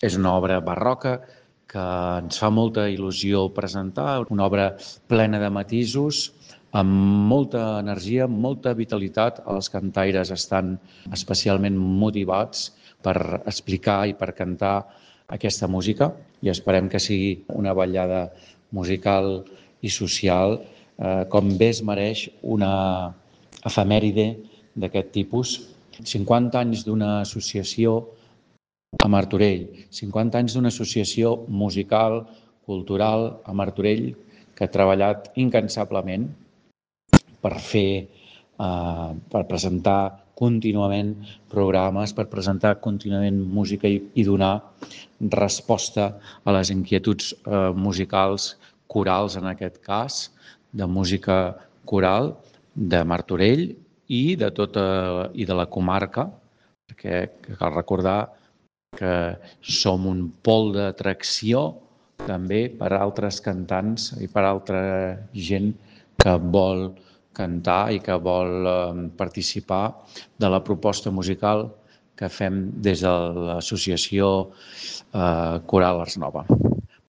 És una obra barroca que ens fa molta il·lusió presentar, una obra plena de matisos, amb molta energia, molta vitalitat. Els cantaires estan especialment motivats per explicar i per cantar aquesta música i esperem que sigui una ballada musical i social com bé es mereix una efemèride d'aquest tipus. 50 anys d'una associació a Martorell, 50 anys d'una associació musical, cultural a Martorell que ha treballat incansablement per per presentar contínuament programes, per presentar contínuament música i donar resposta a les inquietuds musicals, corals en aquest cas, de música coral de Martorell i de la comarca, perquè cal recordar que som un pol d'atracció també per a altres cantants i per a altra gent que vol cantar i que vol participar de la proposta musical que fem des de l'associació Coral Ars Nova.